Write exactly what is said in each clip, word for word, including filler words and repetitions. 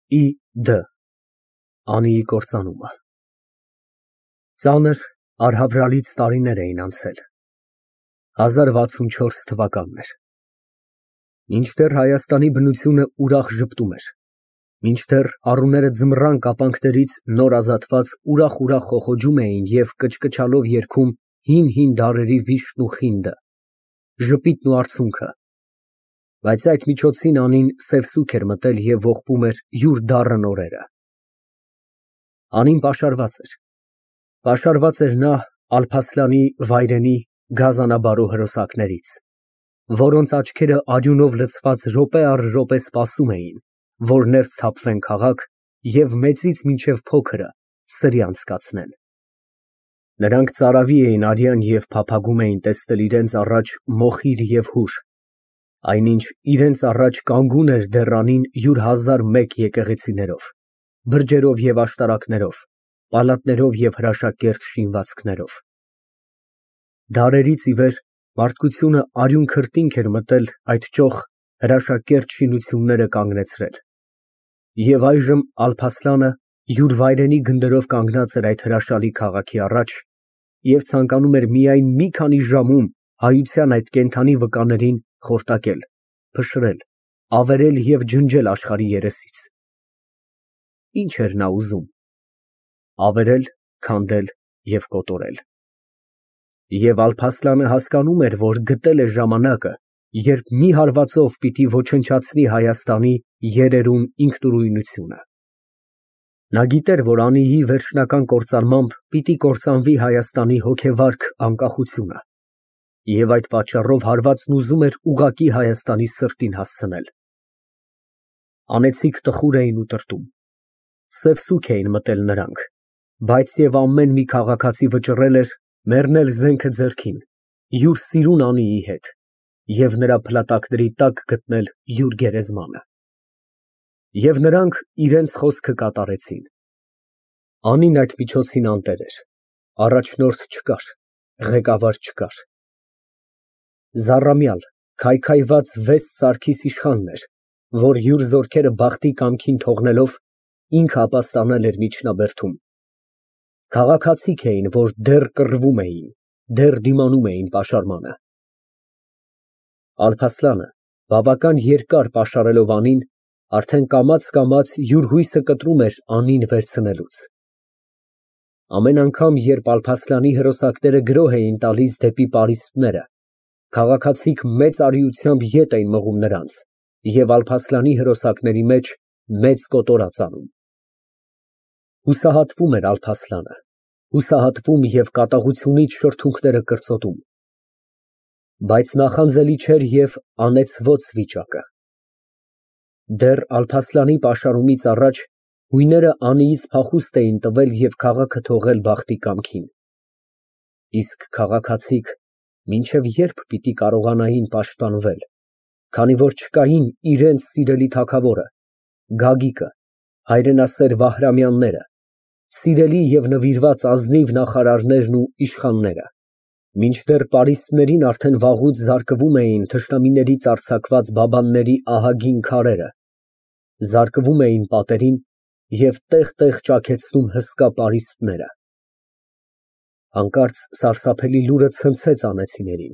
Ի Դ Անիի կործանումը Ծանր, արհավրալից տարիներ էին անցել, հազար վաթսունչորս թվականներ, մինչդեռ Հայաստանի բնությունը ուրախ ժպտում էր, մինչդեռ առուները ձմռան կապանքներից նոր ազատված ուրախ֊ուրախ խոխոջում էին և կչկչալով երգում հին֊հին դարերի վիշտն ու խինդը, ժպիտն ու արցունքը, բայց այդ միջոցին Անին սև սուգ էր մտել և ողբում էր յուր դառն օրերը։ Անին պաշարված էր, պաշարված էր նա Ալփասլանի վայրենի գազանաբարո հրոսակներից, որոնց աչքերը արյունով լցված րոպե առ րոպե սպասում էին, որ ներս թափվեն քաղաք և մեծից մինչև փոքրը սրյանց կացնեն։ Նրանք ծարավի էին արյան և փափագում էին տեսնել իրենց առաջ մոխիր և հուր, այնինչ իրենց առաջ կանգուն էր դեռ Անին յուր հազար մեկ եկեղեցիներով, բրջերով և աշտարակներով, պալատներով և հրաշագերտ շինվածքներով։ Դարերից ի վեր մարդկությունը արյուն քրտինք էր մտել այդ ճոխ հրաշագերտ շինությունները կանգնեցրել, և այժմ Ալփասլանը յուր վայրենի գնդերով կանգնած էր այդ հրաշալի քաղաքի առաջ և ցանկանում էր միայն մի քանի ժամում հայության այդ կենդանի վկաներին խորտակել, փշրել, ավերել և ջնջել աշխարհի երեսից։ Ի՞նչ էր նա ուզում։ Ավերել, քանդել և կոտորել։ Եվ Ալփասլանը հասկանում էր, որ գտել է ժամանակը, երբ մի հարվածով պիտի ոչնչացնի Հայաստանի երերուն ինքնուրույնությունը։ Նա գիտեր, որ Անիի վերջնական կործանմամբ պիտի կործանվի Հայաստանի հոգեվարք անկախությունը, և այդ պատճառով հարվածն ուզում էր ուղղակի Հայաստանի սրտին հասցնել։ Անեծիկ տխուր էին ուտրտում, սև սուգ էին մտել նրանք, բայց և ամեն մի քաղաքացի վճռել էր մեռնել զենքը ձեռքին, յուր սիրուն Անիի հետ և նրա փլատակների տակ գտնել յուր գերեզմանը։ Եվ նրանք իրենց խոսքը կատարեցին։ Անին այդ միջոցին անտեր էր, առաջնորդ չկար, ղեկավար չկար։ Զառամյալ, քայքայված վես սարքիս իշխանն էր, որ յուր զորքերը բախտի կամքին թողնելով, ինքը ապաստանել էր միջնաբերդում։ Քաղաքացիք էին, որ դեռ կռվում էին, դեռ դիմանում էին պաշարմանը։ Ալփասլանը, բավական երկար պաշարելով Անին, արդեն կամաց֊կամաց յուր հույսը կտրում էր Անին վերցնելուց։ Ամեն անգամ, երբ Ալփասլանի հրոսակները գրոհ էին տալիս դեպի պարիսպները, քաղաքացիք մեծ արիությամբ ետ էին մղում նրանց և Ալփասլանի հրոսակների մեջ մեծ կոտորած անում։ Հուսահատվում էր Ալփասլանը, հուսահատվում և կատաղությունից շրթունքները կրծոտում։ Բայց նախանձելի չէր և անեծվոց վիճակը։ Դեռ Ալփասլանի պաշարումից առաջ հույները Անիից փախուստ էին տվել և քաղաքը թողել բախտի կամքին։ Իսկ քաղաքացիք մինչև ե՞րբ պիտի կարողանային պաշտպանվել, քանի որ չկային իրենց սիրելի թագավորը, Գագիկը, հայրենասեր Վահրամյանները, սիրելի և նվիրված ազնիվ նախարարներն ու իշխանները, մինչդեռ պարիսպներին արդեն վաղուց զարկվում էին թշնամիներից արձակված բաբանների ահագին քարերը, զարկվում էին պատերին և տեղ֊տեղ ճաքեցնում հսկա պարիսպները։ Հանկարծ սարսափելի լուրը ցնցեց անեծիներին։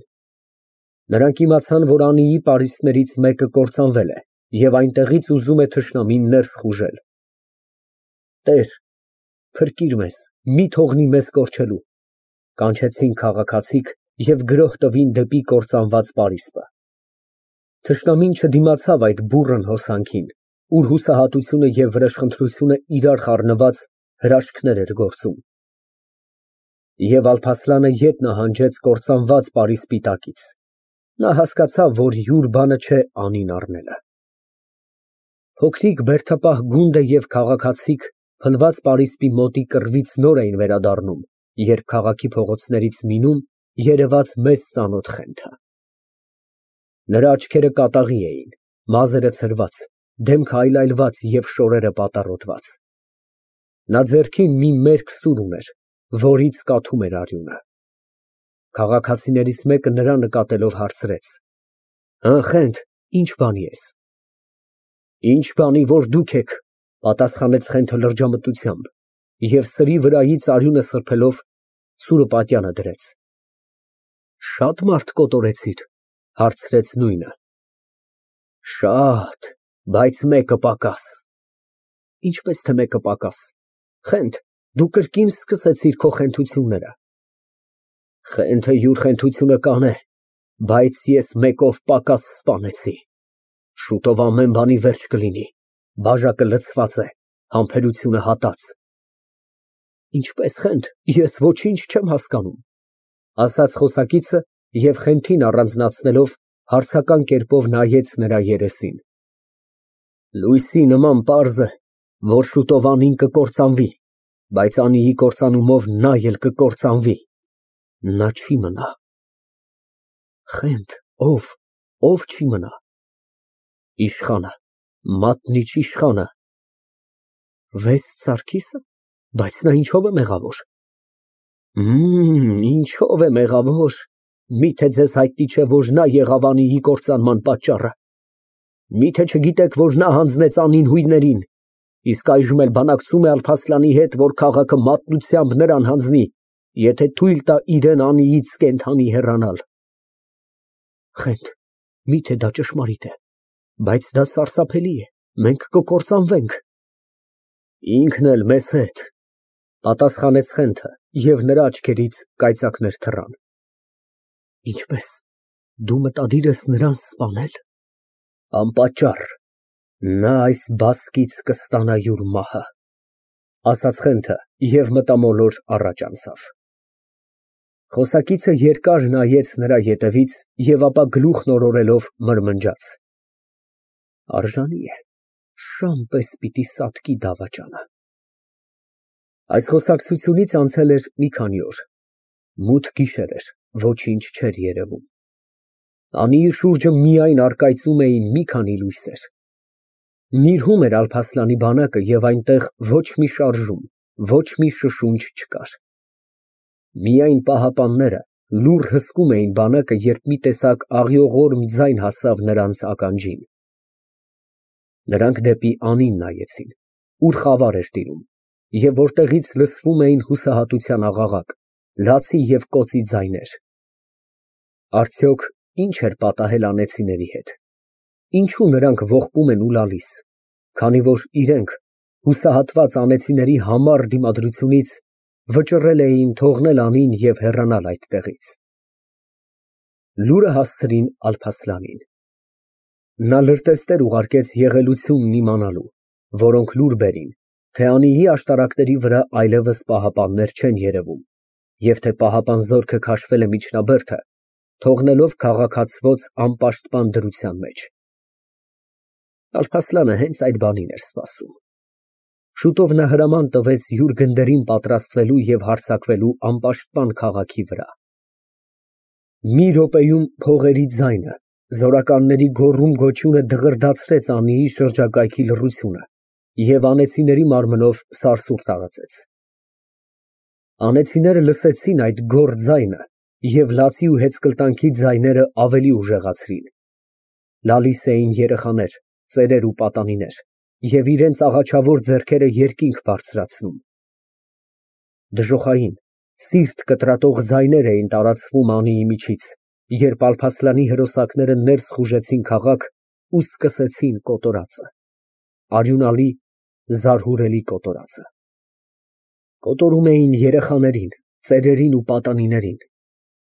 Նրանք իմացան, որ Անիի պարիսպներից մեկը կործանվել է և այնտեղից ուզում է թշնամին ներս խուժել։ «Տեր, փրկիր մեզ, մի թողնի մեզ կորչելու», ֊ կանչեցին քաղաքացիք և գրոհ տվին դեպի կործանված պարիսպը։ Թշնամին չդիմացավ այդ բուռն հոսանքին, ուր հուսահատությունը և վրեժխնդրությունը իրար խառնված հրաշքներ էր գործում։ Եվ Ալփասլանը ետ նահանջեց կործանված պարիսպի տակից։ Նա հասկացավ, որ յուր բանը չէ Անին առնելը։ Փոքրիկ բերդապահ գունդը և քաղաքացիք փլված պարիսպի մոտի կռվից նոր էին վերադառնում, երբ քաղաքի փողոցներից միմում երևաց մեծ ծանոթ Խենթը։ Նրա աչքերը կատաղի էին, մազերը ցրված, դեմքը այլայլված և շորերը պատառոտված։ Նա ձեռքին մի մերկ սուր ուներ, որից կաթում էր արյունը։ Քաղաքացիներից մեկը նրան նկատելով հարցրեց. «Հը, Խենթ, ի՞նչ բանի ես»։ «Ինչ բանի, որ դուք եք, Պատասխանեց Խենթը լրջամտությամբ և սրի վրայից արյունը սրբելով սուրը պատյանը դրեց։ Շա՞տ մարդ կոտորեցիր, հարցրեց նույնը։ Շատ, բայց մեկը պակաս։ Ինչպես թե մեկը պակաս։ Խենթ, դու կրկին սկսեցիր քո խենթությունները։ Խենթը յուր խենթությունը կանե, բայց ես մեկով պակաս սպանեցի։ Շուտով ամեն բանի վերջ կլինի, բաժակը լցված է, համբերությունը հատած։ Ինչպես, Խենթ, ես ոչինչ չեմ հասկանում, ասաց խոսակիցը և Խենթին առանձնացնելով հարցական կերպով նայեց նրա երեսին։ Լույսի նման պարզ է, որ շուտով Անին կկործանվի, բայց Անիի կործանումով նա էլ կկործանվի, նա չի մնա։ Խենթ, ո՞վ, ո՞վ չի մնա։ Իշխանը, մատնիչ իշխանը։ Վեց Սարգիսը, բայց նա ինչով է մեղավոր։ Մմ, ինչով է մեղավոր, միթե ձեզ հայտնի չէ, որ նա եղավ Անիի կործանման պատճառը։ Միթե չգիտեք, որ նա հանձնեց Անին հույներին, իսկ այժմ էլ բանակցում է Ալփասլանի հետ, որ քաղաքը մատնությամբ նրան հանձնի, եթե թույլ տա իրան Անիից կենդանի հեռանալ։ Խենթ, միթե դա ճշմարիտ է, բայց դա սարսափելի է, մենք կկործանվենք։ Ինքն էլ մեզ հետ, պատասխանեց Խենթը, և նրա աչքերից կայծակներ թռան։ Ինչպես, դու մտադիր ես նրան սպանել։ Անպատճառ, նա այս բասկից կստանա յուր մահը, ասաց Խենթը և մտամոլոր առաջ անցավ։ Խոսակիցը երկար նայեց նրա ետևից և ապա գլուխն օրորելով մրմնջաց. Արժանի է, շան պես պիտի սատկի դավաճանը։ Այս խոսակցությունից անցել էր մի քանի օր, մութ գիշեր էր, ոչինչ չէր երևում։ Անիի շուրջը միայն առկայծում էին մի քանի լույսեր։ Նիրհում էր Ալփասլանի բանակը և այնտեղ ոչ մի շարժում, ոչ մի շշունչ չկար։ Միայն պահապանները լուռ հսկում էին բանակը, երբ մի տեսակ աղիողորմ ձայն հասավ նրանց ականջին։ Նրանք դեպի Անին նայեցին, ուր խավար էր տիրում, և որտեղից լսվում էին հուսահատության աղաղակ, լացի և կոծի ձայներ։ Արդյոք ինչ էր պատահել անեծիների հետ։ Ինչու նրանք ողբում են ու լալիս, քանի որ իրենք, հուսահատված անեծիների համառ դիմադրությունից, վճռել էին թողնել Անին և հեռանալ այդտեղից։ Լուրը հասցրին Ալփասլանին։ Նա լրտեսներ ուղարկեց եղելությունն իմանալու, որոնք լուր բերին, թե Անիի աշտարակների վրա այլևս պահապաններ չեն երևում, և թե պահապան զորքը քաշվել է միջնաբերդը, թողնելով քաղաքացվոց անպաշտպան դրության մեջ։ Ալփասլանը հենց այդ բանին էր սպասում։ Շուտով նա հրաման տվեց յուր գնդերին պատրաստվելու և հարձակվելու անպաշտպան քաղաքի վրա։ Մի րոպեում փողերի ձայնը, զորականների գոռում֊գոչյունը դղրդացրեց Անիի շրջակայքի լռությունը և անեծիների մարմնով սարսուռ տարածեց։ Անեծիները լսեցին այդ գոռ ձայնը և լացի ու հեծկլտանքի ձայները ավելի ուժեղացրին։ Լալիս էին երեխաներ, ծերեր ու պատանիներ և իրենց աղաչավոր ձեռքերը երկինք բարձրացնում։ Դժոխային, սիրտ կտրատող ձայներ էին տարածվում Անիի միջից, երբ Ալփասլանի հրոսակները ներս խուժեցին քաղաք ու սկսեցին կոտորածը, արյունալի, զարհուրելի կոտորածը։ Կոտորում էին երեխաներին, ծերերին ու պատանիներին,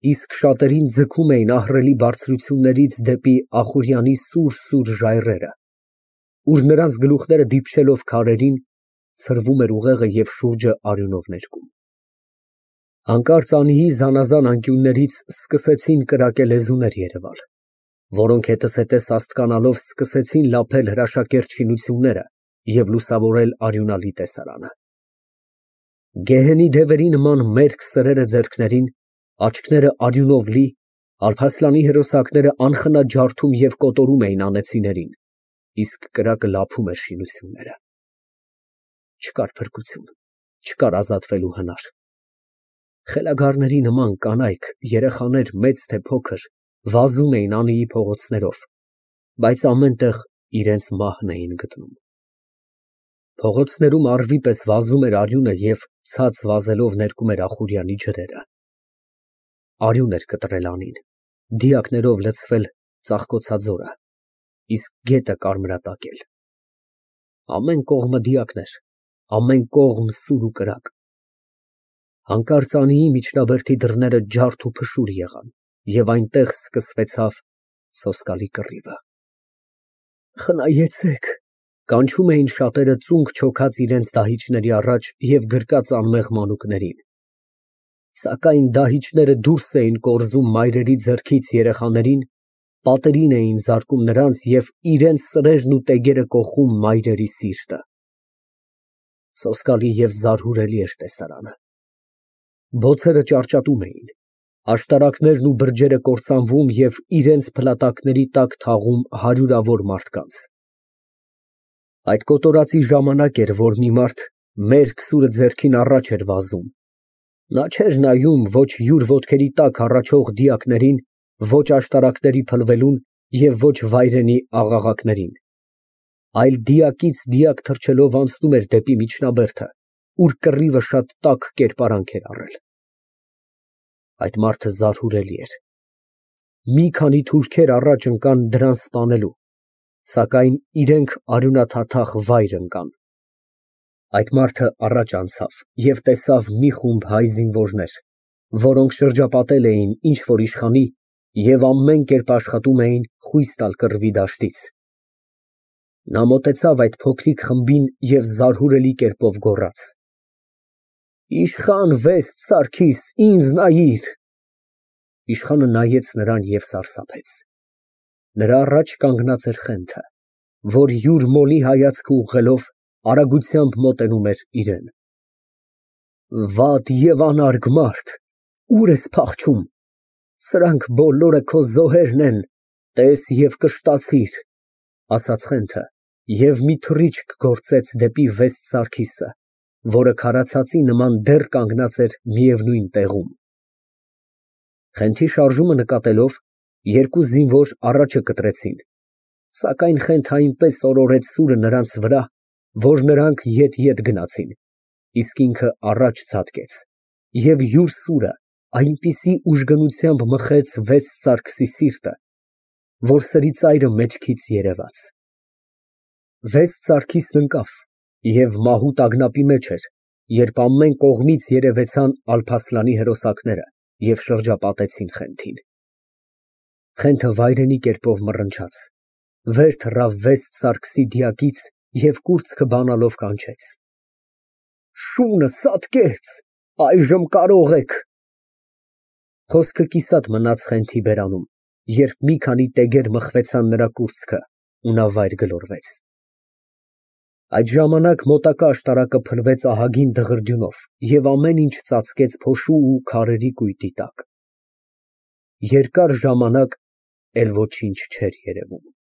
իսկ շատերին ձգում էին ահռելի բարձրություններից դեպի Ախուրյանի սուր֊սուր ժայռերը, ուր նրանց գլուխները դիպչելով քարերին, ցրվում էր ուղեղը և շուրջը արյունով ներկում։ Հանկարծ Անիի զանազան անկյուններից սկսեցին կրակե լեզուներ երևալ, որոնք հետզհետե սաստկանալով սկսեցին լափել հրաշագերտ շինությունները և լուսավորել արյունալի տեսարանը։ Գեհենի դևերի նման մերկ սրերը ձեռքներին, աչքները արյունով լի, Ալփասլանի հրոսակները անխնա ջարդում և կոտորում էին անեծիներին, իսկ կրակը լափում էր շինությունները։ Չկար փրկություն, չկար ազատվելու հնար։ Խելագարների նման կանայք, երեխաներ մեծ թե փոքր, վազում էին Անիի փողոցներով, բայց ամեն տեղ իրենց մահն էին գտնում։ Փողոցներում առվի պես վազում էր արյունը և ցած վազելով ներկում էր Ախուրյանի ջրերը։ Արյուն էր կտրել անին, դիակներով լցվել ծաղկոցաձորը, իսկ գետը կարմրատակել։ Ամեն կողմը դիակներ, ամեն կողմ սուր ու կրակ։ Հանկարծ Անիի միջնաբերդի դռները ջարդ ու փշուր եղան, և այնտեղ սկսվեցավ սոսկալի կռիվը։ Խնայեցեք, կանչում էին շատերը ծունկ չոքած իրենց դահիճների առաջ և գրկած անմեղ մանուկներին։ Սակայն դահիճները դուրս էին կորզում մայրերի ձեռքից երեխաներին, պատերին էին զարկում նրանց և իրենց սրերն ու տեգերը կոխում մայրերի սիրտը։ Սոսկալի և զարհուրելի էր տեսարանը։ Բոցերը ճարճատում էին, աշտարակներն ու բրջերը կործանվում և իրենց փլատակների տակ թաղում հարյուրավոր մարդկանց։ Այդ կոտորածի ժամանակ էր, որ մի մարդ մերկ սուրը ձեռքին առաջ էր վազում։ Նա չէր նայում ոչ յուր ոտքերի տակ հառաչող դիակներին, ոչ աշտարակների փլվելուն և ոչ վայրենի աղաղակներին, այլ դիակից դիակ թռչելով անցնում էր դեպի միջնաբերդը, ուր կռիվը շատ տաք կերպարանք էր առել։ Այդ մարդը զարհուրելի էր։ Մի քանի թուրքեր առաջ ընկան դրան սպանելու, սակայն իրենք արյունաթաթախ վայր ընկան։ Այդ մարդը առաջ անցավ և տեսավ մի խումբ հայ զինվորներ, որոնք շրջապատել էին ինչ֊որ իշխանի և ամեն կերպ աշխատում էին խույս տալ կռվի դաշտից։ Նա մոտեցավ այդ փոքրիկ խմբին և զարհուրելի կերպով գոռաց. «Իշխան Վեստ Սարգիս, ինձ նայիր»։ Իշխանը նայեց նրան և սարսափեց։ Նրա առաջ կանգնած էր Խենթը, որ յուր մոլի հայացքը ուղղելով արագությամբ մոտենում էր իրան։ Վատ և անարգ մարդ, ուր ես փախչում, սրանք բոլորը քո զոհերն են, տես և կշտացիր, ասաց Խենթը և մի թռիչք գործեց դեպի Վեստ Սարգիսը, որը քարացածի նման դեռ կանգնած էր միևնույն տեղում։ Խենթի շարժումը նկատելով, երկու զինվոր առաջը կտրեցին, սակայն Խենթը այնպես օրորեց սուրը նրանց վրա, որ նրանք ետ֊ետ գնացին, իսկ ինքը առաջ ցատկեց և յուր սուրը այնպիսի ուժգնությամբ մխեց Վեստ Սարգսի սիրտը, որ սրի ծայրը մեջքից երևաց։ Վեստ Սարգիսն ընկավ և մահու տագնապի մեջ էր, երբ ամեն կողմից երևեցան Ալփասլանի հրոսակները և շրջապատեցին Խենթին։ Խենթը վայրենի կերպով մռնչաց, վեր թռավ Վեստ Սարգսի դիակից և կուրծքը բանալով կանչեց. «Շունը սատկեց, այժմ կարող եք»։ Խոսքը կիսատ մնաց Խենթի բերանում, երբ մի քանի տեգեր մխվեցան նրա կուրծքը, ու նա վայր գլորվեց։ Այդ ժամանակ մոտակա աշտարակը փլվեց ահագին դղրդյունով և ամեն ինչ ծածկեց փոշու ու քարերի կույտի տակ։ Երկար ժամանակ էլ ոչինչ չէր երևում։